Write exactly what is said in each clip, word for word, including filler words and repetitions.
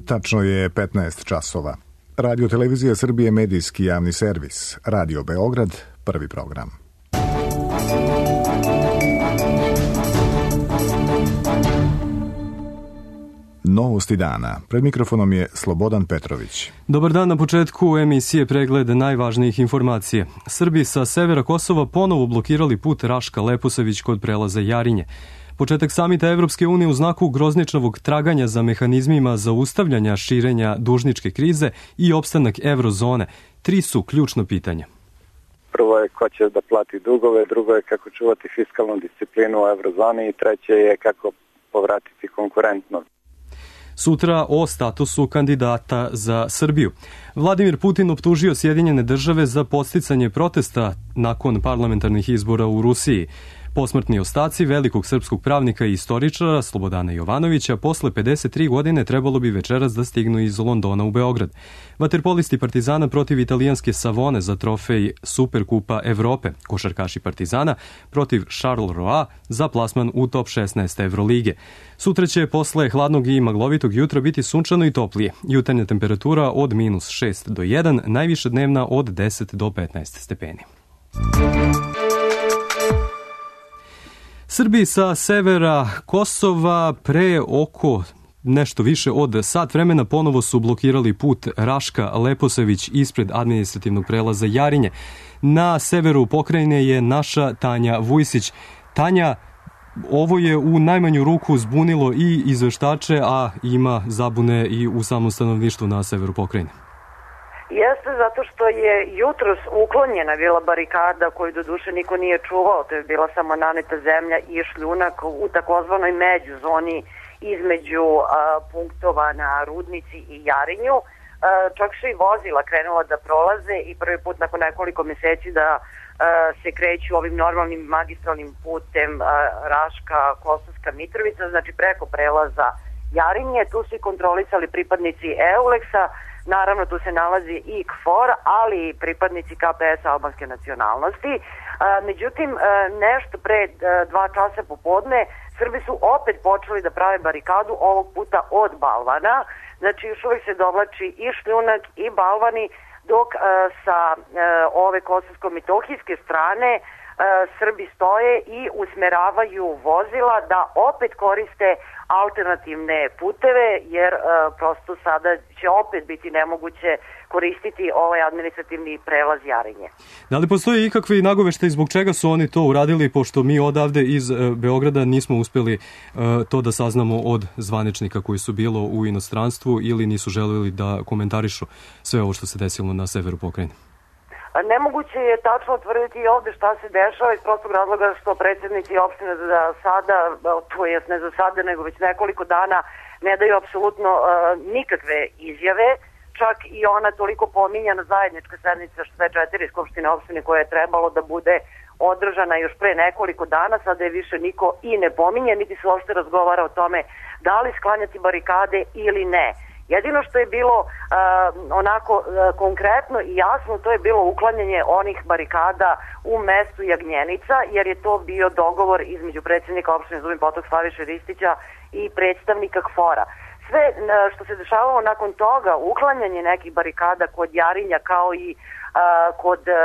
Tačno je petnaest časova. Radio Televizija Srbije, medijski javni servis. Radio Beograd, prvi program. Novosti dana. Pred mikrofonom je Slobodan Petrović. Dobar dan, na početku emisije pregled najvažnijih informacija. Srbi sa severa Kosova ponovo blokirali put Raška-Leposavić kod prelaza Jarinje. Početak samita Evropske unije u znaku grozničavog traganja za mehanizmima zaustavljanja širenja dužničke krize i opstanak eurozone. Tri su ključno pitanja. Prvo je ko će da plati dugove, drugo je kako čuvati fiskalnu disciplinu u eurozoni i treće je kako povratiti konkurentnost. Sutra o statusu kandidata za Srbiju. Vladimir Putin optužio Sjedinjene države za podsticanje protesta nakon parlamentarnih izbora u Rusiji. Posmrtni ostaci velikog srpskog pravnika i istoričara Slobodana Jovanovića posle pedeset tri godine trebalo bi večeras da stignu iz Londona u Beograd. Vaterpolisti Partizana protiv italijanske Savone za trofej Superkupa Evrope. Košarkaši Partizana protiv Charleroi za plasman u top šesnaest Evrolige. Sutra će posle hladnog i maglovitog jutra biti sunčano i toplije. Jutarnja temperatura od minus šest do jedan, najviša dnevna od deset do petnaest stepeni. Srbi sa severa Kosova pre oko nešto više od sat vremena ponovo su blokirali put Raška-Leposavić ispred administrativnog prelaza Jarinje. Na severu pokrajine je naša Tanja Vujsić. Tanja, ovo je u najmanju ruku zbunilo i izveštače, a ima zabune i u samom stanovništvu na severu pokrajine. Jeste, zato što je jutros uklonjena bila barikada koju doduše niko nije čuvao, to je bila samo naneta zemlja i šljunak u takozvanoj međuzoni između a, punktova na Rudnici i Jarinju. A, čak su i vozila krenula da prolaze i prvi put nakon nekoliko meseci da a, se kreću ovim normalnim magistralnim putem a, Raška, Kosovska Mitrovica, znači preko prelaza Jarinje. Tu su i kontrolisali pripadnici Euleksa. Naravno, tu se nalazi i KFOR, ali i pripadnici K P S albanske nacionalnosti. A, međutim, a, nešto pre a, dva časa popodne Srbi su opet počeli da prave barikadu, ovog puta od balvana. Znači, još uvijek se dovlači i šljunak i balvani, dok a, sa a, ove kosovsko-mitohijske strane a, Srbi stoje i usmeravaju vozila da opet koriste alternativne puteve, jer e, prosto sada će opet biti nemoguće koristiti ovaj administrativni prelaz Jarinje. Da li postoji ikakvi nagoveštaj zbog čega su oni to uradili, pošto mi odavde iz e, Beograda nismo uspeli e, to da saznamo od zvaničnika koji su bilo u inostranstvu ili nisu želeli da komentarišu sve ovo što se desilo na severu pokrajine? Nemoguće je tačno utvrditi i ovde šta se dešava iz prostog razloga što predsjednici opštine za sada, to jest ne za sada, nego već nekoliko dana ne daju apsolutno uh, nikakve izjave. Čak i ona toliko pominjana zajednička sednica sve četiri skupštine opštine koja je trebalo da bude održana još pre nekoliko dana, sada je više niko i ne pominje, niti se uopšte razgovara o tome da li sklanjati barikade ili ne. Jedino što je bilo uh, onako uh, konkretno i jasno, to je bilo uklanjanje onih barikada u mestu Jagnjenica, jer je to bio dogovor između predsjednika opštine Zubin Potok Slaviše Ristića i predstavnika KFOR-a. Sve uh, što se dešavalo nakon toga, uklanjanje nekih barikada kod Jarinja kao i uh, kod uh,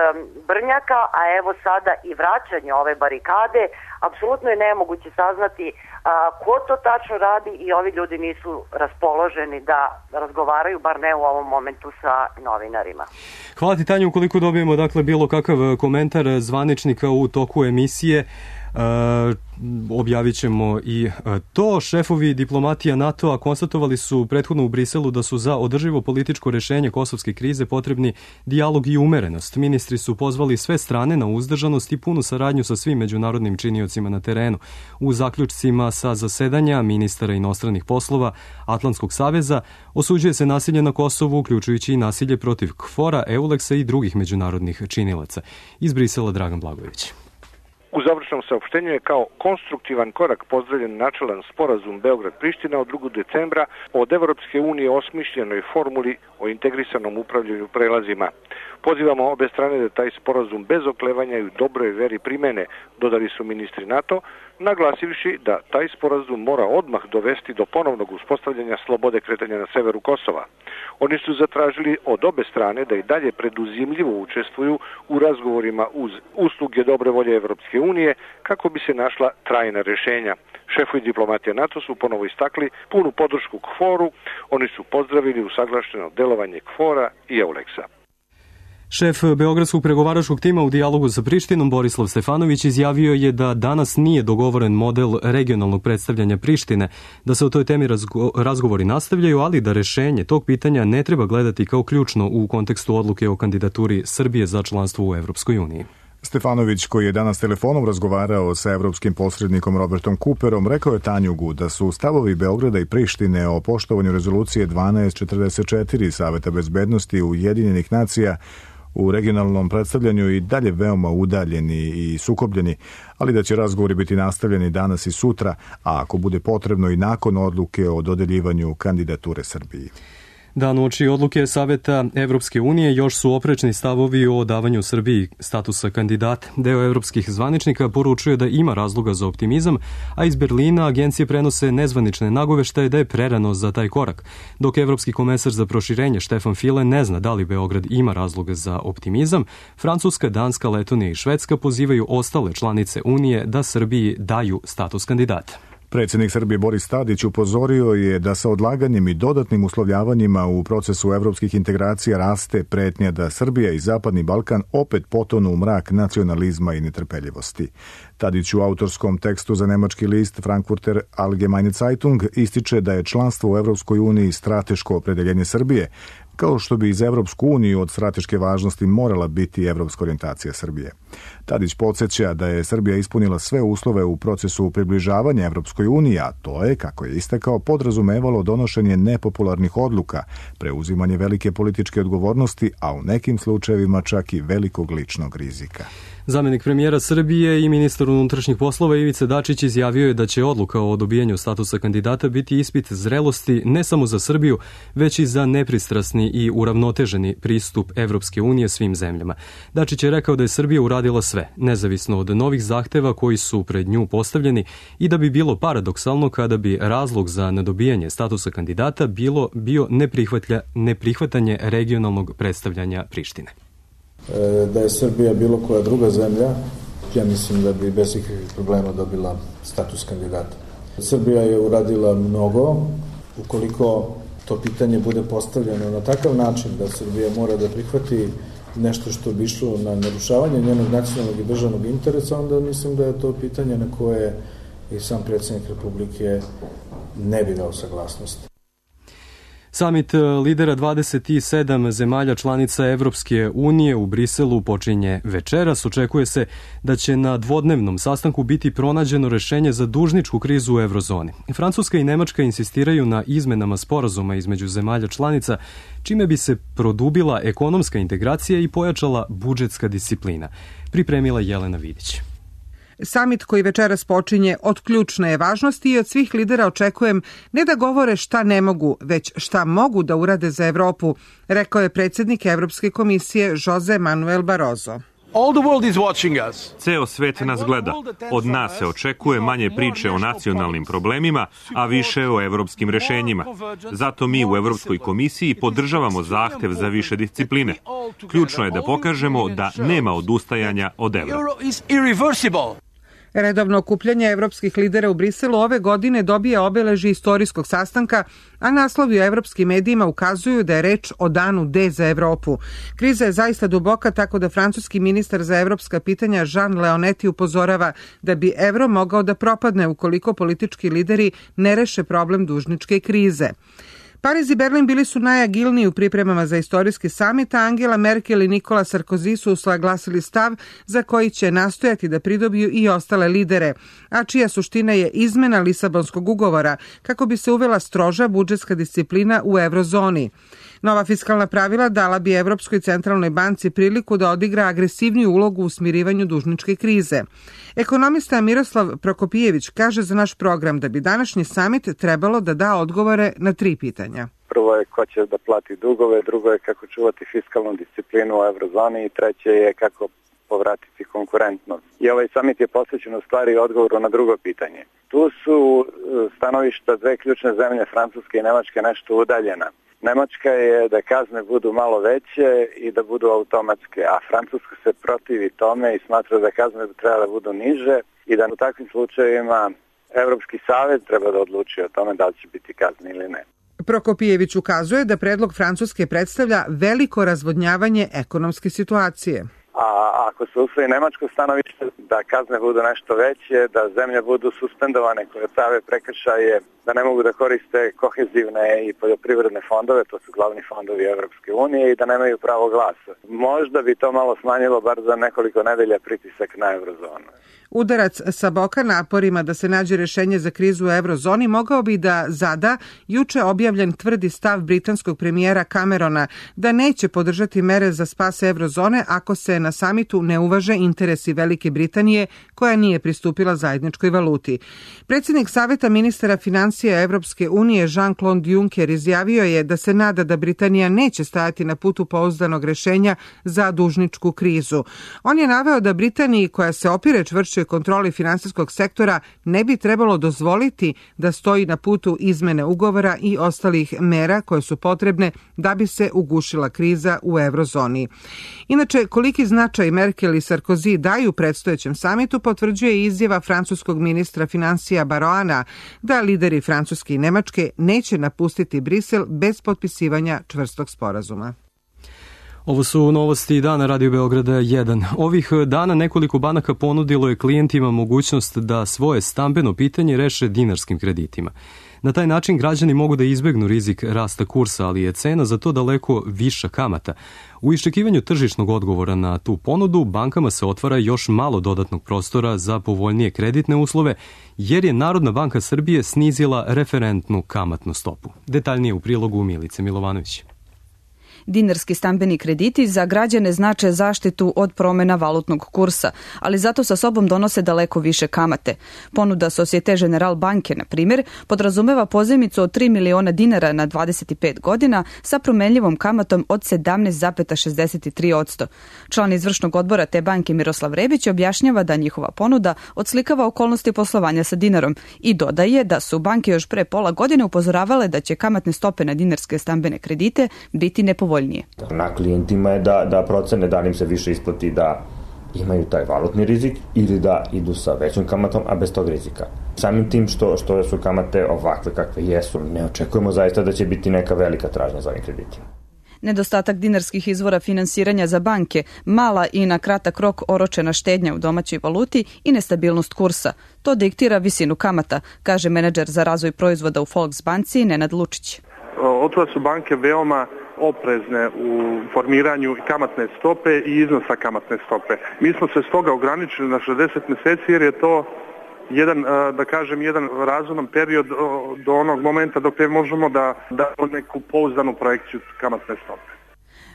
Brnjaka, a evo sada i vraćanje ove barikade, apsolutno je nemoguće saznati a, ko to tačno radi i ovi ljudi nisu raspoloženi da razgovaraju, bar ne u ovom momentu sa novinarima. Hvala ti, Tanja, ukoliko dobijemo dakle bilo kakav komentar zvaničnika u toku emisije, Uh, objavit ćemo i to. Šefovi diplomatija NATO-a konstatovali su prethodno u Briselu da su za održivo političko rešenje kosovske krize potrebni dijalog i umerenost. Ministri su pozvali sve strane na uzdržanost i punu saradnju sa svim međunarodnim činiocima na terenu. U zaključcima sa zasedanja ministara inostranih poslova Atlantskog saveza osuđuje se nasilje na Kosovu, uključujući i nasilje protiv KFOR-a, Euleksa i drugih međunarodnih činilaca. Iz Brisela Dragan Blagojević. U završnom saopštenju je kao konstruktivan korak pozdravljen načelan sporazum Beograd-Priština od drugog decembra od Evropske unije osmišljenoj formuli o integrisanom upravljanju prelazima. Pozivamo obe strane da taj sporazum bez oklevanja i u dobroj veri primene, dodali su ministri NATO, naglasivši da taj sporazum mora odmah dovesti do ponovnog uspostavljanja slobode kretanja na severu Kosova. Oni su zatražili od obe strane da i dalje preduzimljivo učestvuju u razgovorima uz usluge dobre volje Evropske unije kako bi se našla trajna rješenja. Šefovi diplomatije NATO su ponovo istakli punu podršku KFOR-u, oni su pozdravili usaglašeno delovanje KFOR-a i EULEX-a. Šef Beogradskog pregovaračkog tima u dijalogu sa Prištinom, Borislav Stefanović, izjavio je da danas nije dogovoren model regionalnog predstavljanja Prištine, da se o toj temi razgo- razgovori nastavljaju, ali da rešenje tog pitanja ne treba gledati kao ključno u kontekstu odluke o kandidaturi Srbije za članstvo u Evropskoj uniji. Stefanović, koji je danas telefonom razgovarao sa evropskim posrednikom Robertom Cooperom, rekao je Tanjugu da su stavovi Beograda i Prištine o poštovanju rezolucije dvanaest četrdeset četiri Saveta bezbednosti Ujedinjenih nacija u regionalnom predstavljanju i dalje veoma udaljeni i sukobljeni, ali da će razgovori biti nastavljeni danas i sutra, a ako bude potrebno i nakon odluke o dodeljivanju kandidature Srbiji. Dan uoči odluke Saveta Evropske unije još su oprečni stavovi o davanju Srbiji statusa kandidata. Deo evropskih zvaničnika poručuje da ima razloga za optimizam, a iz Berlina agencije prenose nezvanične nagoveštaje da je prerano za taj korak. Dok evropski komesar za proširenje Štefan File ne zna da li Beograd ima razloga za optimizam, Francuska, Danska, Letonija i Švedska pozivaju ostale članice Unije da Srbiji daju status kandidata. Predsjednik Srbije Boris Tadić upozorio je da sa odlaganjem i dodatnim uslovljavanjima u procesu evropskih integracija raste pretnja da Srbija i Zapadni Balkan opet potonu u mrak nacionalizma i netrpeljivosti. Tadić u autorskom tekstu za nemački list Frankfurter Allgemeine Zeitung ističe da je članstvo u Evropskoj uniji strateško opredeljenje Srbije, kao što bi iz Evropsku uniju od strateške važnosti morala biti evropska orijentacija Srbije. Tadić podsjeća da je Srbija ispunila sve uslove u procesu približavanja Evropskoj uniji, a to je, kako je istakao, podrazumevalo donošenje nepopularnih odluka, preuzimanje velike političke odgovornosti, a u nekim slučajevima čak i velikog ličnog rizika. Zamenik premijera Srbije i ministar unutrašnjih poslova Ivica Dačić izjavio je da će odluka o dobijanju statusa kandidata biti ispit zrelosti ne samo za Srbiju, već i za nepristrasni i uravnoteženi pristup Evropske unije svim zemljama. Dačić je rekao da je Srbija uradila sve, nezavisno od novih zahteva koji su pred nju postavljeni, i da bi bilo paradoksalno kada bi razlog za nedobijanje statusa kandidata bilo bio neprihvatanje regionalnog predstavljanja Prištine. Da je Srbija bilo koja druga zemlja, ja mislim da bi bez ikakvih problema dobila status kandidata. Srbija je uradila mnogo. Ukoliko to pitanje bude postavljeno na takav način da Srbija mora da prihvati nešto što bi išlo na narušavanje njenog nacionalnog i državnog interesa, onda mislim da je to pitanje na koje i sam predsjednik Republike ne bi dao saglasnost. Samit lidera dvadeset sedam zemalja članica Evropske unije u Briselu počinje večeras. Očekuje se da će na dvodnevnom sastanku biti pronađeno rešenje za dužničku krizu u eurozoni. Francuska i Nemačka insistiraju na izmenama sporazuma između zemalja članica, čime bi se produbila ekonomska integracija i pojačala budžetska disciplina. Pripremila Jelena Vidić. Samit koji večeras počinje od ključne je važnosti i od svih lidera očekujem ne da govore šta ne mogu, već šta mogu da urade za Evropu, rekao je predsjednik Evropske komisije Jose Manuel Barroso. Ceo svet nas gleda. Od nas se očekuje manje priče o nacionalnim problemima, a više o evropskim rešenjima. Zato mi u Evropskoj komisiji podržavamo zahtev za više discipline. Ključno je da pokažemo da nema odustajanja od evra. Redovno okupljanje evropskih lidera u Briselu ove godine dobija obeležje istorijskog sastanka, a naslovi u evropskim medijima ukazuju da je reč o danu D za Evropu. Kriza je zaista duboka, tako da francuski ministar za evropska pitanja Jean Leonetti upozorava da bi evro mogao da propadne ukoliko politički lideri ne reše problem dužničke krize. Pariz i Berlin bili su najagilniji u pripremama za istorijski samit, a Angela Merkel i Nikola Sarkozy su usaglasili stav za koji će nastojati da pridobiju i ostale lidere, a čija suština je izmena Lisabonskog ugovora kako bi se uvela stroža budžetska disciplina u eurozoni. Nova fiskalna pravila dala bi Evropskoj centralnoj banci priliku da odigra agresivniju ulogu u smirivanju dužničke krize. Ekonomista Miroslav Prokopijević kaže za naš program da bi današnji samit trebalo da da odgovore na tri pitanja. Prvo je ko će da plati dugove, drugo je kako čuvati fiskalnu disciplinu u eurozoni i treće je kako povratiti konkurentnost. I ovaj samit je posvećen u stvari odgovoru na drugo pitanje. Tu su stanovišta dve ključne zemlje, Francuske i Nemačke, nešto udaljena. Nemačka je da kazne budu malo veće i da budu automatske, a Francuska se protivi tome i smatra da kazne treba da budu niže i da u takvim slučajevima Evropski savez treba da odluči o tome da li će biti kazne ili ne. Prokopijević ukazuje da predlog Francuske predstavlja veliko razvodnjavanje ekonomske situacije. A ako se usvoji nemačko stanovište, da kazne budu nešto veće, da zemlje budu suspendovane koje prave prekršaje, da ne mogu da koriste kohezivne i poljoprivredne fondove, to su glavni fondovi Evropske unije, i da nemaju pravo glasa. Možda bi to malo smanjilo bar za nekoliko nedelja pritisak na eurozonu. Udarac sa boka naporima da se nađe rešenje za krizu u eurozoni mogao bi da zada juče objavljen tvrdi stav britanskog premijera Camerona da neće podržati mere za spas eurozone ako se na samitu ne uvaže interesi Velike Britanije koja nije pristupila zajedničkoj valuti. Predsjednik Saveta ministara financija Evropske unije Jean-Claude Juncker izjavio je da se nada da Britanija neće stajati na putu pouzdanog rešenja za dužničku krizu. On je naveo da Britaniji, koja se opire čvršćoj kontroli finansijskog sektora, ne bi trebalo dozvoliti da stoji na putu izmene ugovora i ostalih mera koje su potrebne da bi se ugušila kriza u eurozoni. Inače, koliki značaj Merkel i Sarkozy daju predstojećem samitu potvrđuje izjava francuskog ministra financija Baroana da lideri Francuske i Nemačke neće napustiti Brisel bez potpisivanja čvrstog sporazuma. Ovo su novosti dana Radio Beograda jedan. Ovih dana nekoliko banaka ponudilo je klijentima mogućnost da svoje stambeno pitanje reše dinarskim kreditima. Na taj način građani mogu da izbegnu rizik rasta kursa, ali je cena za to daleko viša kamata. U iščekivanju tržišnog odgovora na tu ponudu, bankama se otvara još malo dodatnog prostora za povoljnije kreditne uslove, jer je Narodna banka Srbije snizila referentnu kamatnu stopu. Detaljnije u prilogu Milice Milovanović. Dinarski stambeni krediti za građane znače zaštitu od promena valutnog kursa, ali zato sa sobom donose daleko više kamate. Ponuda Societe Generale banke, na primjer, podrazumeva pozajmicu od tri miliona dinara na dvadeset pet godina sa promenljivom kamatom od sedamnaest zarez šezdeset tri posto. Član izvršnog odbora te banke Miroslav Rebić objašnjava da njihova ponuda odslikava okolnosti poslovanja sa dinarom i dodaje da su banke još pre pola godine upozoravale da će kamatne stope na dinarske stambene kredite biti nepovoljnije. Na klijentima je da, da procene da li im se više isplati da imaju taj valutni rizik ili da idu sa većom kamatom, a bez tog rizika. Samim tim što, što su kamate ovakve kakve jesu, ne očekujemo zaista da će biti neka velika tražnja za ovim kreditima. Nedostatak dinarskih izvora finansiranja za banke, mala i na kratak rok oročena štednja u domaćoj valuti i nestabilnost kursa. To diktira visinu kamata, kaže menadžer za razvoj proizvoda u Volksbanci Nenad Lučić. Otuda su banke veoma oprezne u formiranju kamatne stope i iznosa kamatne stope. Mi smo se stoga ograničili na šezdeset meseci jer je to jedan, da kažem, jedan razuman period do onog momenta dok ne možemo da damo neku pouzdanu projekciju kamatne stope.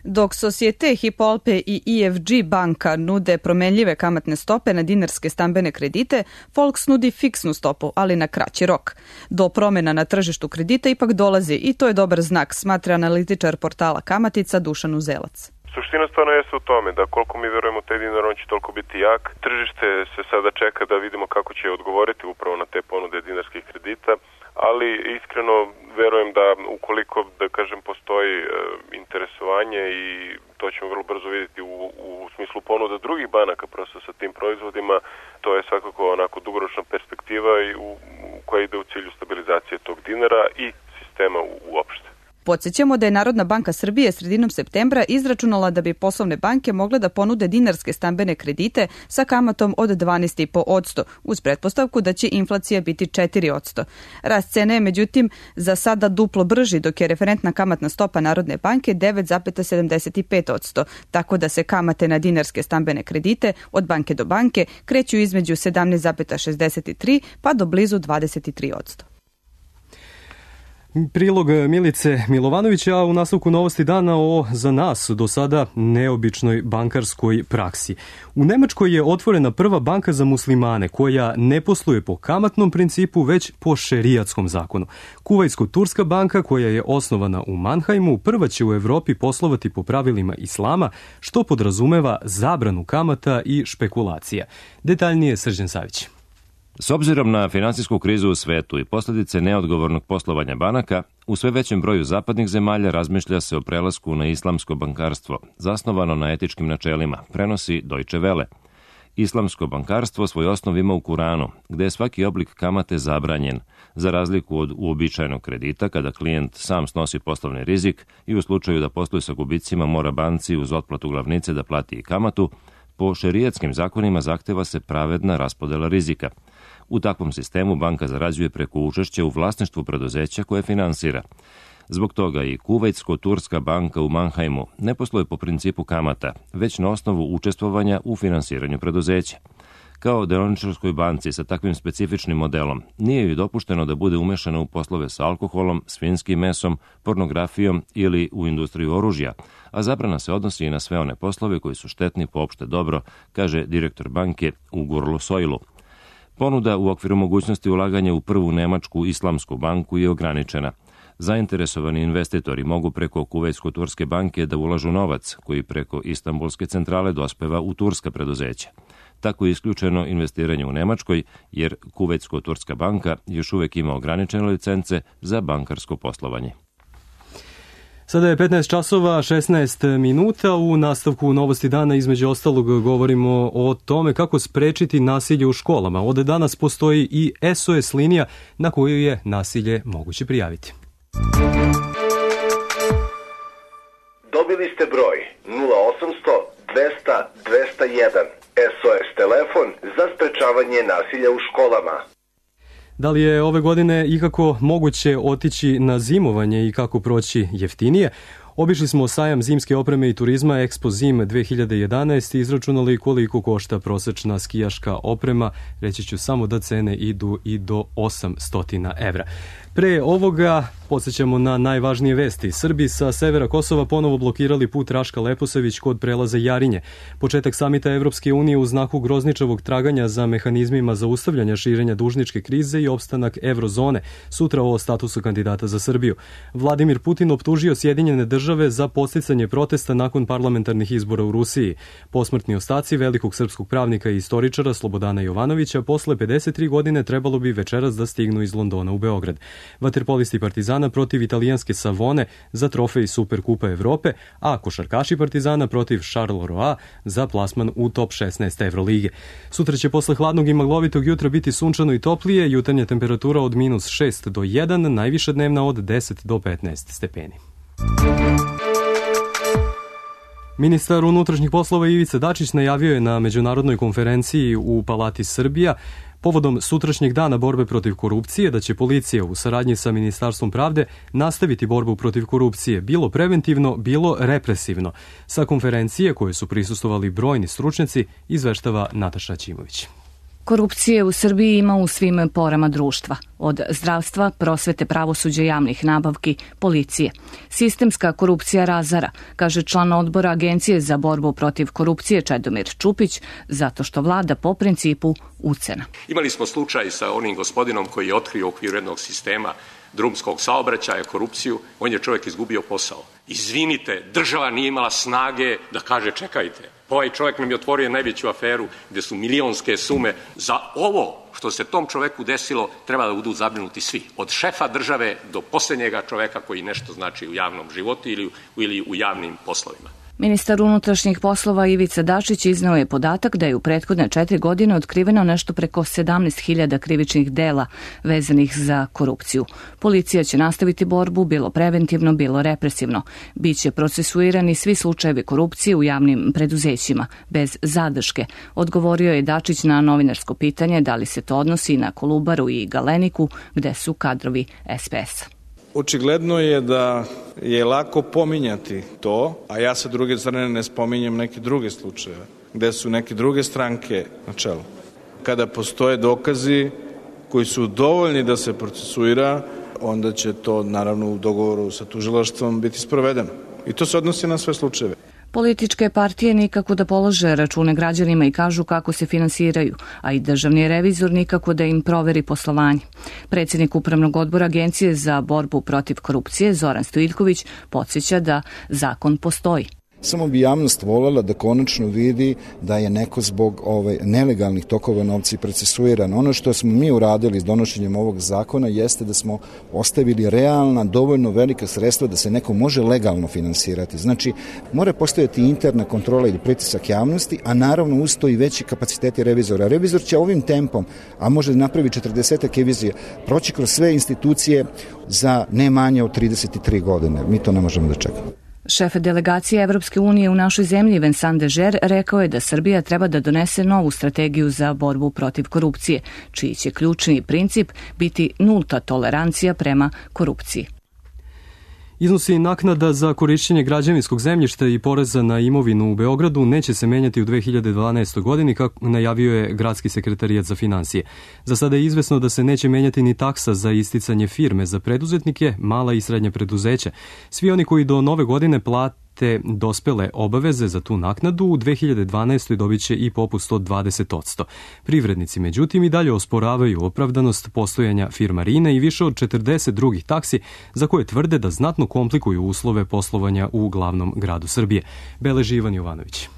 Dok Societe, Hypo Alpe i E F G banka nude promenljive kamatne stope na dinarske stambene kredite, Volks nudi fiksnu stopu, ali na kraći rok. Do promjena na tržištu kredita ipak dolazi i to je dobar znak, smatra analitičar portala Kamatica Dušan Uzelac. Suština stvarno jeste u tome da koliko mi verujemo taj dinar, on će toliko biti jak. Tržište se sada čeka da vidimo kako će odgovoriti upravo na te ponude dinarskih kredita, ali iskreno verujem da ukoliko, da kažem, postoji e, interesovanje i to ćemo vrlo brzo vidjeti u, u smislu ponuda drugih banaka prosto sa tim proizvodima, to je svakako onako dugoročna perspektiva i u, u koja ide u cilju stabilizacije tog dinara i sistema u, uopšte. Podsjećamo da je Narodna banka Srbije sredinom septembra izračunala da bi poslovne banke mogle da ponude dinarske stambene kredite sa kamatom od dvanaest zarez pet posto uz pretpostavku da će inflacija biti četiri posto. Rast cene je međutim za sada duplo brži, dok je referentna kamatna stopa Narodne banke devet zarez sedamdeset pet posto, tako da se kamate na dinarske stambene kredite od banke do banke kreću između sedamnaest zarez šezdeset tri pa do blizu dvadeset tri posto. Prilog Milice Milovanovića, a u nastavku novosti dana o za nas do sada neobičnoj bankarskoj praksi. U Nemačkoj je otvorena prva banka za muslimane koja ne posluje po kamatnom principu već po šerijatskom zakonu. Kuvajtsko-turska banka koja je osnovana u Mannheimu prva će u Evropi poslovati po pravilima islama što podrazumeva zabranu kamata i špekulacija. Detaljnije Srđan Savić. S obzirom na finansijsku krizu u svetu i posljedice neodgovornog poslovanja banaka, u sve većem broju zapadnih zemalja razmišlja se o prelasku na islamsko bankarstvo, zasnovano na etičkim načelima, prenosi Deutsche Welle. Islamsko bankarstvo svoj osnov ima u Kuranu, gde je svaki oblik kamate zabranjen, za razliku od uobičajenog kredita kada klijent sam snosi poslovni rizik i u slučaju da posluje sa gubicima mora banci uz otplatu glavnice da plati i kamatu. Po šerijatskim zakonima zahteva se pravedna raspodela rizika. U takvom sistemu banka zarađuje preko učešća u vlasništvu preduzeća koje finansira. Zbog toga i Kuvajtsko-turska banka u Mannheimu ne posluje po principu kamata, već na osnovu učestvovanja u finansiranju preduzeća. Kao deloničarskoj banci sa takvim specifičnim modelom nije joj dopušteno da bude umešana u poslove sa alkoholom, svinjskim mesom, pornografijom ili u industriju oružja, a zabrana se odnosi i na sve one poslove koji su štetni po opšte dobro, kaže direktor banke Ugur Soilu. Ponuda u okviru mogućnosti ulaganja u prvu nemačku islamsku banku je ograničena. Zainteresovani investitori mogu preko Kuvajtsko-turske banke da ulažu novac koji preko Istanbulske centrale dospeva u turska preduzeća. Tako je isključeno investiranje u Nemačkoj, jer Kuvajtsko-turska banka još uvek ima ograničene licence za bankarsko poslovanje. Sada je petnaest časova šesnaest minuta. U nastavku novosti dana između ostalog govorimo o tome kako sprečiti nasilje u školama. Od danas postoji i S O S linija na koju je nasilje moguće prijaviti. Dobili ste broj nula osamsto dvesta dvesta jedan, S O S telefon za sprečavanje nasilja u školama. Da li je ove godine ikako moguće otići na zimovanje i kako proći jeftinije? Obišli smo sajam zimske opreme i turizma Expo Zim dve hiljade jedanaest i izračunali koliko košta prosečna skijaška oprema. Reći ću samo da cene idu i do osamsto evra. Pre ovoga podsjećamo na najvažnije vesti. Srbi sa severa Kosova ponovo blokirali put Raška Leposavić kod prelaza Jarinje. Početak samita Evropske unije u znaku grozničavog traganja za mehanizmima zaustavljanja širenja dužničke krize i opstanak eurozone. Sutra o statusu kandidata za Srbiju. Vladimir Putin optužio Sjedinjene države za podsticanje protesta nakon parlamentarnih izbora u Rusiji. Posmrtni ostaci velikog srpskog pravnika i istoričara Slobodana Jovanovića posle pedeset tri godine trebalo bi večeras da stignu iz Londona u Beograd. Vaterpolisti Partizana protiv italijanske Savone za trofej Superkupa Evrope, a košarkaši Partizana protiv Charleroi za plasman u top šesnaest Evrolige. Sutra će posle hladnog i maglovitog jutra biti sunčano i toplije, jutarnja temperatura od minus šest do jedan, najviša dnevna od deset do petnaest stepeni. Ministar unutrašnjih poslova Ivica Dačić najavio je na međunarodnoj konferenciji u Palati Srbija povodom sutrašnjeg dana borbe protiv korupcije da će policija u saradnji sa Ministarstvom pravde nastaviti borbu protiv korupcije, bilo preventivno, bilo represivno. Sa konferencije koje su prisustvovali brojni stručnjaci izveštava Nataša Ćimović. Korupcije u Srbiji ima u svim porama društva, od zdravstva, prosvete, pravosuđa, javnih nabavki, policije. Sistemska korupcija razara, kaže član odbora Agencije za borbu protiv korupcije Čedomir Čupić, zato što vlada po principu ucena. Imali smo slučaj sa onim gospodinom koji je otkrio u okviru jednog sistema drumskog saobraćaja korupciju, on je čovjek izgubio posao. Izvinite, država nije imala snage da kaže čekajte, ovaj čovjek nam je otvorio najveću aferu gdje su milionske sume. Za ovo što se tom čovjeku desilo treba da budu zabrinuti svi. Od šefa države do posljednjega čovjeka koji nešto znači u javnom životu ili, ili u javnim poslovima. Ministar unutrašnjih poslova Ivica Dačić izneo je podatak da je u prethodne četiri godine otkriveno nešto preko sedamnaest hiljada krivičnih dela vezanih za korupciju. Policija će nastaviti borbu, bilo preventivno, bilo represivno. Biće procesuirani svi slučajevi korupcije u javnim preduzećima, bez zadrške, odgovorio je Dačić na novinarsko pitanje da li se to odnosi na Kolubaru i Galeniku, gde su kadrovi S P S-a. Očigledno je da je lako pominjati to, a ja sa druge strane ne spominjem neke druge slučajeve, gde su neke druge stranke na čelu. Kada postoje dokazi koji su dovoljni da se procesuira, onda će to naravno u dogovoru sa tužilaštvom biti sprovedeno. I to se odnosi na sve slučajeve. Političke partije nikako da polože račune građanima i kažu kako se finansiraju, a i državni revizor nikako da im proveri poslovanje. Predsjednik Upravnog odbora Agencije za borbu protiv korupcije Zoran Stojiljković podsjeća da zakon postoji. Samo bi javnost voljela da konačno vidi da je neko zbog ovaj, nelegalnih tokova novca procesuiran. Ono što smo mi uradili s donošenjem ovog zakona jeste da smo ostavili realna, dovoljno velika sredstva da se neko može legalno finansirati. Znači, mora postojati interna kontrola ili pritisak javnosti, a naravno uz to i veći kapaciteti revizora. Revizor će ovim tempom, a može da napravi četrdesetak revizija, proći kroz sve institucije za ne manje od trideset tri godine. Mi to ne možemo da čekamo. Šef delegacije Evropske unije u našoj zemlji Vincent Dežer rekao je da Srbija treba da donese novu strategiju za borbu protiv korupcije, čiji će ključni princip biti nulta tolerancija prema korupciji. Iznosi naknada za korišćenje građevinskog zemljišta i poreza na imovinu u Beogradu neće se menjati u dve hiljade dvanaestoj. godini, kako najavio je Gradski sekretarijat za finansije. Za sada je izvesno da se neće menjati ni taksa za isticanje firme za preduzetnike, mala i srednja preduzeća. Svi oni koji do nove godine plate te dospele obaveze za tu naknadu u dve hiljade dvanaestoj. dobit će i popust od dvadeset posto. Privrednici, međutim, i dalje osporavaju opravdanost postojanja firmarina i više od četrdeset drugih taksi za koje tvrde da znatno komplikuju uslove poslovanja u glavnom gradu Srbije. Beleži Ivan Jovanović.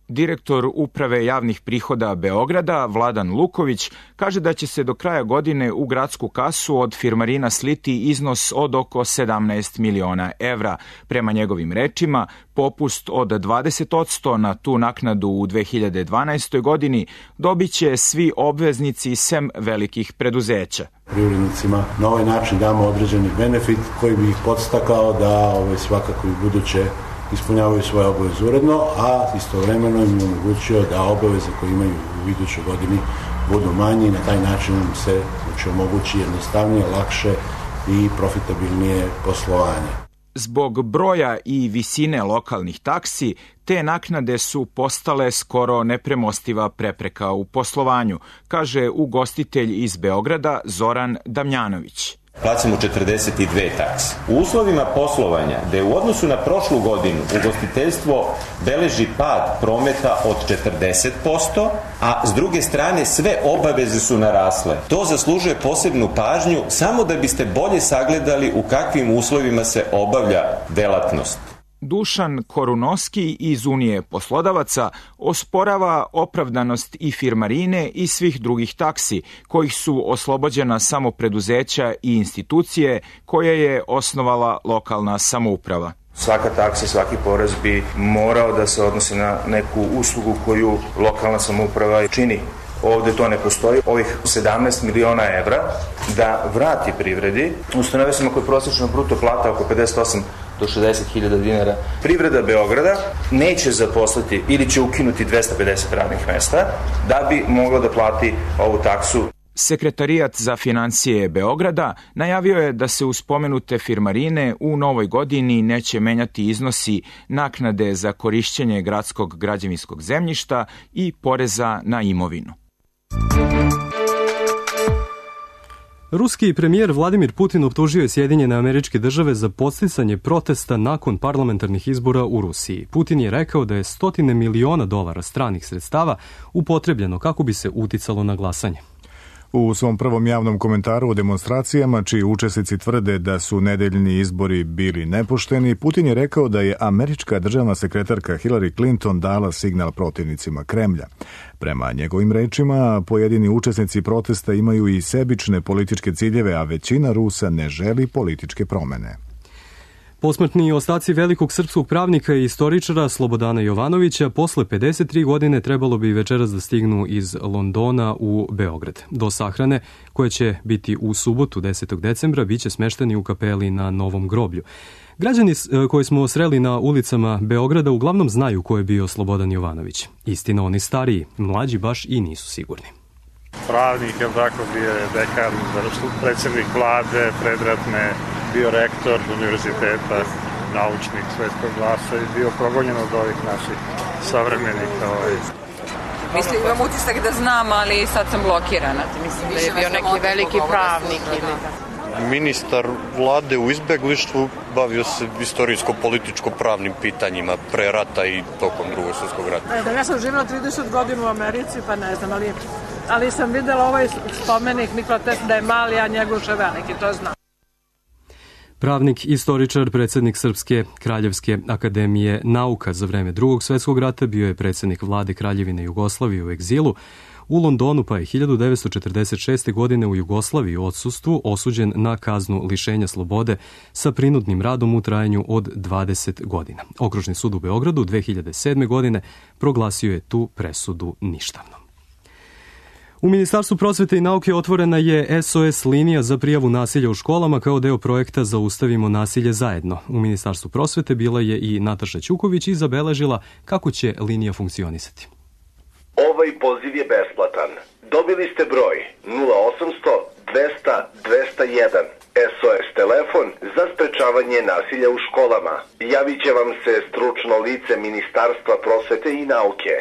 Direktor Uprave javnih prihoda Beograda, Vladan Luković, kaže da će se do kraja godine u gradsku kasu od firmarina sliti iznos od oko sedamnaest miliona evra. Prema njegovim rečima, popust od dvadeset posto na tu naknadu u dve hiljade dvanaestoj. godini dobit će svi obveznici sem velikih preduzeća. Privrednicima na ovaj način damo određeni benefit koji bi ih podstakao da ovaj, svakako i buduće ispunjavaju svoje obaveze uredno, a istovremeno im omogućio da obaveze koje imaju u idućoj godini budu manje i na taj način im se znači, omogući jednostavnije, lakše i profitabilnije poslovanje. Zbog broja i visine lokalnih taksi, te naknade su postale skoro nepremostiva prepreka u poslovanju, kaže ugostitelj iz Beograda Zoran Damjanović. Plaćamo četrdeset dve takse. U uslovima poslovanja, gde u odnosu na prošlu godinu ugostiteljstvo beleži pad prometa od četrdeset posto, a s druge strane sve obaveze su narasle. To zaslužuje posebnu pažnju samo da biste bolje sagledali u kakvim uslovima se obavlja delatnost. Dušan Korunoski iz Unije poslodavaca osporava opravdanost i firmarine i svih drugih taksi, kojih su oslobođena samo preduzeća i institucije koje je osnovala lokalna samouprava. Svaka taksa, svaki porez bi morao da se odnosi na neku uslugu koju lokalna samouprava čini. Ovde to ne postoji. Ovih sedamnaest miliona evra da vrati privredi, ustanove sam ako je prosječna bruto plata oko pedeset osam do šezdeset hiljada dinara. Privreda Beograda neće zaposliti ili će ukinuti dvesta pedeset radnih mesta da bi mogla da plati ovu taksu. Sekretarijat za financije Beograda najavio je da se uz spomenute firmarine u novoj godini neće menjati iznosi naknade za korišćenje gradskog građevinskog zemljišta i poreza na imovinu. Ruski premijer Vladimir Putin optužio je Sjedinjene Američke Države za podsticanje protesta nakon parlamentarnih izbora u Rusiji. Putin je rekao da je stotine miliona dolara stranih sredstava upotrebljeno kako bi se uticalo na glasanje. U svom prvom javnom komentaru o demonstracijama, čiji učesnici tvrde da su nedeljni izbori bili nepošteni, Putin je rekao da je američka državna sekretarka Hillary Clinton dala signal protivnicima Kremlja. Prema njegovim rečima, pojedini učesnici protesta imaju i sebične političke ciljeve, a većina Rusa ne želi političke promene. Posmrtni ostaci velikog srpskog pravnika i istoričara Slobodana Jovanovića posle pedeset tri godine trebalo bi večeras da stignu iz Londona u Beograd. Do sahrane, koje će biti u subotu desetog decembra, biće smešteni u kapeli na Novom groblju. Građani koji smo sreli na ulicama Beograda uglavnom znaju ko je bio Slobodan Jovanović. Istina, oni stariji, mlađi baš i nisu sigurni. Pravnik, je tako, bio je dekan, predsjednik vlade, predratne, bio rektor univerziteta, naučnik Svetskog glasa i bio progonjen od ovih naših savremenika. Mislim, imam utisak da znam, ali sad sam blokirana. Mislim da je bio neki veliki pravnik. Ili... ministar vlade u izbeglištvu, bavio se istorijsko-političko-pravnim pitanjima pre rata i tokom drugog svjetskog rata. E, da, ja sam živjela trideset godina u Americi, pa ne znam, ali, ali sam videla ovaj spomenik Nikola Tesla da je mali, a Njegoš je veliki, to znam. Pravnik, istoričar, predsjednik Srpske Kraljevske akademije nauka za vreme drugog svjetskog rata, bio je predsjednik vlade Kraljevine Jugoslavije u egzilu u Londonu, pa je hiljadu devetsto četrdeset šeste. godine u Jugoslaviji u odsustvu osuđen na kaznu lišenja slobode sa prinudnim radom u trajanju od dvadeset godina. Okružni sud u Beogradu dve hiljade sedme. godine proglasio je tu presudu ništavnom. U Ministarstvu prosvete i nauke otvorena je S O S linija za prijavu nasilja u školama kao deo projekta Zaustavimo nasilje zajedno. U Ministarstvu prosvete bila je i Nataša Ćuković i zabeležila kako će linija funkcionisati. Ovaj poziv je besplatan. Dobili ste broj nula osamsto dvesta dvesta jedan. S O S telefon za sprečavanje nasilja u školama. Javit će vam se stručno lice Ministarstva prosvete i nauke.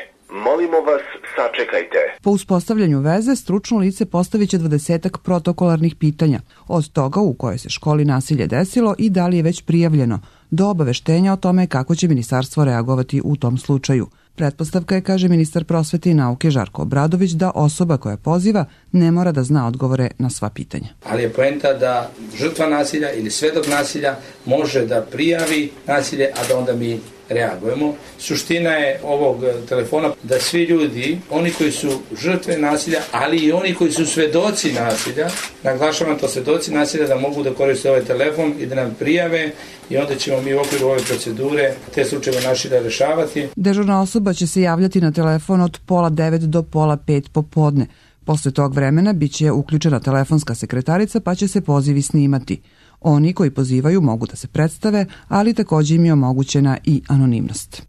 Molimo vas, sačekajte. Po uspostavljanju veze, stručno lice postavit će dvadesetak protokolarnih pitanja, od toga u kojoj se školi nasilje desilo i da li je već prijavljeno, do obaveštenja o tome kako će ministarstvo reagovati u tom slučaju. Pretpostavka je, kaže ministar prosvete i nauke Žarko Obradović, da osoba koja poziva ne mora da zna odgovore na sva pitanja. Ali je poenta da žrtva nasilja ili svedok nasilja može da prijavi nasilje, a da onda mi reagujemo. Suština je ovog telefona da svi ljudi, oni koji su žrtve nasilja, ali i oni koji su svedoci nasilja, naglašavam to, svedoci nasilja, da mogu da koriste ovaj telefon i da nam prijave i onda ćemo mi u okviru ove procedure te slučajeve nasilja rešavati. Dežurna osoba će se javljati na telefon od pola devet do pola pet popodne. Posle tog vremena biće uključena telefonska sekretarica pa će se pozivi snimati. Oni koji pozivaju mogu da se predstave, ali također im je omogućena i anonimnost.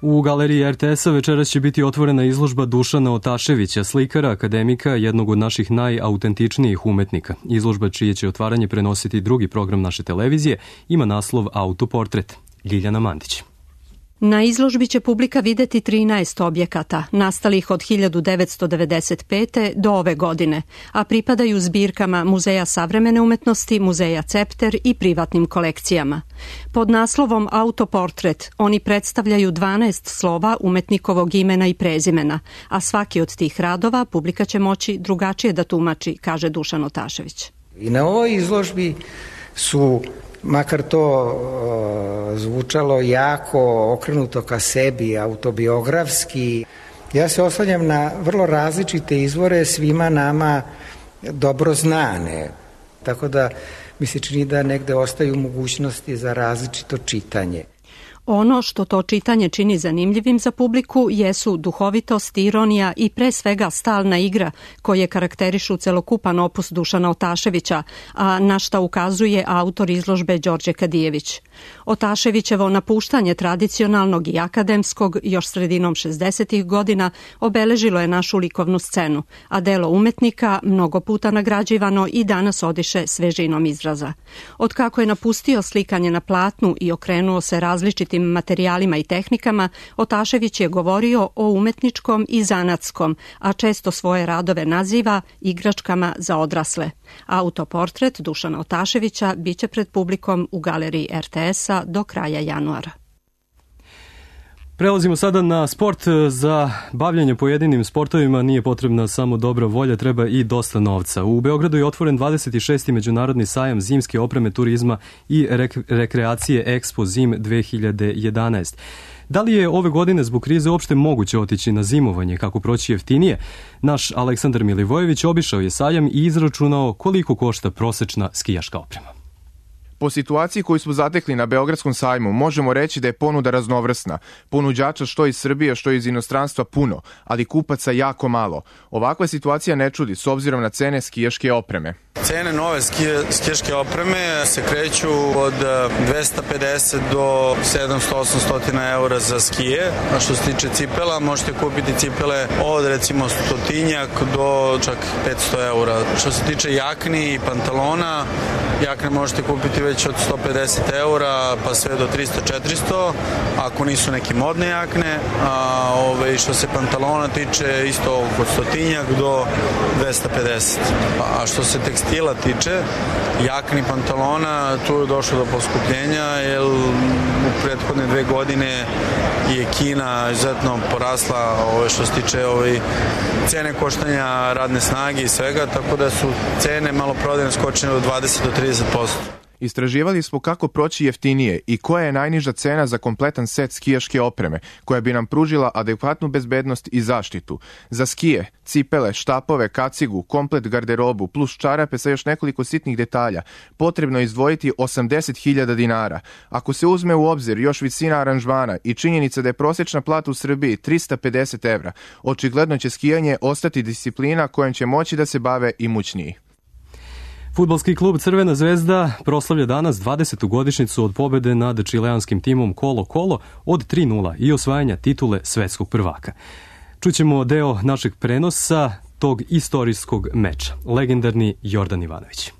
U galeriji R T S-a večeras će biti otvorena izložba Dušana Otaševića, slikara, akademika, jednog od naših najautentičnijih umetnika. Izložba, čije će otvaranje prenositi drugi program naše televizije, ima naslov Autoportret. Ljiljana Mandić. Na izložbi će publika videti trinaest objekata, nastalih od hiljadu devetsto devedeset pete. do ove godine, a pripadaju zbirkama Muzeja savremene umetnosti, Muzeja Cepter i privatnim kolekcijama. Pod naslovom Autoportret oni predstavljaju dvanaest slova umetnikovog imena i prezimena, a svaki od tih radova publika će moći drugačije da tumači, kaže Dušan Otašević. I na ovoj izložbi su, makar to uh, zvučalo jako okrenuto ka sebi, autobiografski, ja se oslanjam na vrlo različite izvore, svima nama dobro znane. Tako da mi se čini da negde ostaju mogućnosti za različito čitanje. Ono što to čitanje čini zanimljivim za publiku jesu duhovitost, ironija i pre svega stalna igra koje karakterišu celokupan opus Dušana Otaševića, a na šta ukazuje autor izložbe Đorđe Kadijević. Otaševićevo napuštanje tradicionalnog i akademskog još sredinom šezdesetih godina obeležilo je našu likovnu scenu, a delo umetnika, mnogo puta nagrađivano, i danas odiše svežinom izraza. Od kako je napustio slikanje na platnu i okrenuo se različitim materijalima i tehnikama, Otašević je govorio o umetničkom i zanatskom, a često svoje radove naziva igračkama za odrasle. Autoportret Dušana Otaševića biće pred publikom u galeriji R T S-a do kraja januara. Prelazimo sada na sport. Za bavljanje pojedinim sportovima nije potrebna samo dobra volja, treba i dosta novca. U Beogradu je otvoren dvadeset šesti međunarodni sajam zimske opreme, turizma i rek- rekreacije Expo Zim dve hiljade jedanaest. Da li je ove godine zbog krize uopšte moguće otići na zimovanje, kako proći jeftinije? Naš Aleksandar Milivojević obišao je sajam i izračunao koliko košta prosečna skijaška oprema. Po situaciji koju smo zatekli na Beogradskom sajmu, možemo reći da je ponuda raznovrsna. Ponuđača što iz Srbije, što iz inostranstva puno, ali kupaca jako malo. Ovakva situacija ne čudi s obzirom na cene skijaške opreme. Cene nove skije, skijaške opreme se kreću od dvesta pedeset do sedamsto do osamsto eura za skije. A što se tiče cipela, možete kupiti cipele od recimo stotinjak do čak petsto eura. Što se tiče jakni i pantalona, jakne možete kupiti već već od sto pedeset eura pa sve do trista četiristo, ako nisu neke modne jakne, a ove, što se pantalona tiče isto od stotinjak do dvesta pedeset. A što se tekstila tiče, jakni pantalona, tu je došlo do poskupljenja, jer u prethodne dve godine je Kina izuzetno porasla ove, što se tiče ove, cene koštanja radne snage i svega, tako da su cene maloprodajne skočene od dvadeset do trideset posto. Istraživali smo kako proći jeftinije i koja je najniža cena za kompletan set skijaške opreme, koja bi nam pružila adekvatnu bezbednost i zaštitu. Za skije, cipele, štapove, kacigu, komplet garderobu, plus čarape sa još nekoliko sitnih detalja, potrebno je izdvojiti osamdeset hiljada dinara. Ako se uzme u obzir još visina aranžmana i činjenica da je prosječna plata u Srbiji trista pedeset evra, očigledno će skijanje ostati disciplina kojom će moći da se bave imućniji. Fudbalski klub Crvena zvezda proslavlja danas dvadesetu godišnjicu od pobede nad čileanskim timom Colo Colo od tri nula i osvajanja titule svetskog prvaka. Čućemo deo našeg prenosa tog istorijskog meča. Legendarni Jordan Ivanović.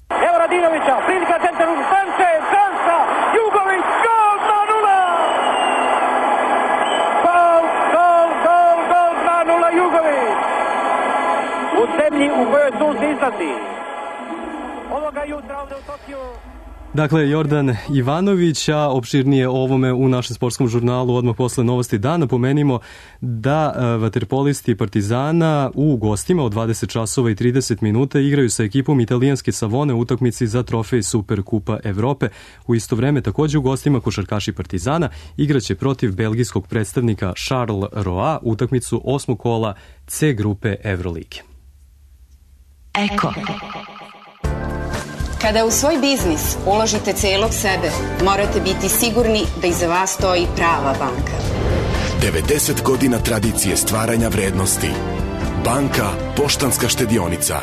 Evo Radinovića, prilika centar u stance, šansa, Jugović, gol, dva nula! Gol, gol, gol, gol, dva nula, Jugović! U zemlji u kojoj sunce izlazi. Ovoga jutra ovde u Tokiju. Dakle, Jordan Ivanović, a opširnije o ovome u našem sportskom žurnalu odmah posle novosti dana. Pomenimo da vaterpolisti Partizana u gostima od dvadeset časova i trideset minuta igraju sa ekipom italijanske Savone u utakmici za trofej Superkupa Evrope. U isto vreme takođe u gostima košarkaši Partizana igraće protiv belgijskog predstavnika Charles Roa utakmicu osmog kola C grupe Evrolige. Eko. Kada u svoj biznis uložite celog sebe, morate biti sigurni da iza vas stoji prava banka. devedeset godina tradicije stvaranja vrednosti. Banka Poštanska štedionica.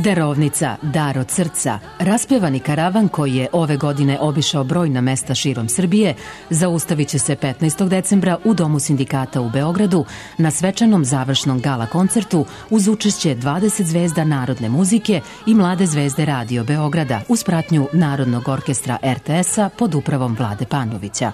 Darovnica, dar od srca. Raspevani karavan koji je ove godine obišao brojna mesta širom Srbije zaustavit će se petnaestog decembra u Domu sindikata u Beogradu na svečanom završnom gala koncertu uz učešće dvadeset zvezda narodne muzike i mlade zvezde Radio Beograda uz pratnju Narodnog orkestra er te es-a pod upravom Vlade Panovića.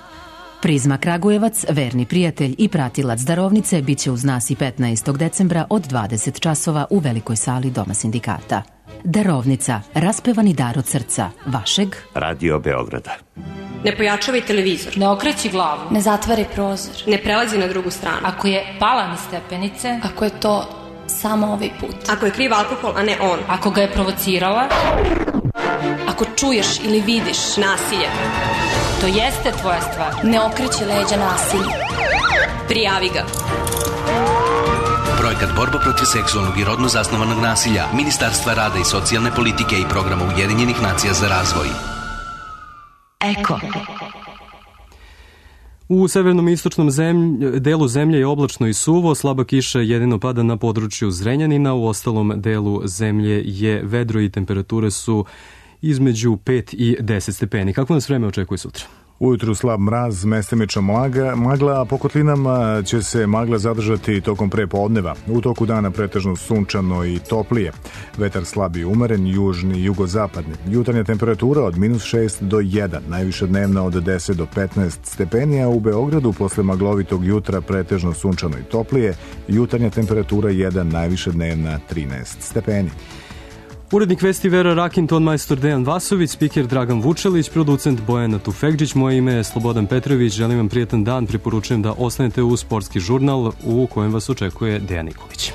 Prizma Kragujevac, verni prijatelj i pratilac darovnice, bit će uz nas i petnaestog decembra od dvadeset časova u velikoj sali Doma sindikata. Darovnica, raspevani dar od srca, vašeg Radio Beograda. Ne pojačavaj televizor. Ne okreći glavu. Ne zatvaraj prozor. Ne prelazi na drugu stranu. Ako je pala mi stepenice. Ako je to samo ovaj put. Ako je kriv alkohol, a ne on. Ako ga je provocirala. Ako čuješ ili vidiš nasilje. To jeste tvoja stvar. Ne okreći leđa nasilju. Prijavi ga. Projekat Borba protiv seksualnog i rodno zasnovanog nasilja Ministarstva rada i socijalne politike i programa Ujedinjenih nacija za razvoj. Eko. U severnom i istočnom zemlj, delu zemlje je oblačno i suvo, slaba kiša jedino pada na području Zrenjanina, u ostalom delu zemlje je vedro i temperature su između pet i deset stepeni. Kako nas vreme očekuje sutra? Ujutru slab mraz, mestimično magla, magla, a po kotlinama će se magla zadržati tokom prepodneva. U toku dana pretežno sunčano i toplije. Vetar slab i umeren, južni i jugozapadni. Jutarnja temperatura od minus šest do jedan, najviša dnevna od deset do petnaest stepeni, a u Beogradu posle maglovitog jutra pretežno sunčano i toplije. Jutarnja temperatura jedan, najviša dnevna trinaest stepeni. Urednik vesti Vera Rakinton, majstor Dejan Vasović, spiker Dragan Vučelić, producent Bojana Tufekđić, moje ime je Slobodan Petrović, želim vam prijetan dan, preporučujem da ostanete u sportski žurnal u kojem vas očekuje Dejan Nikolić.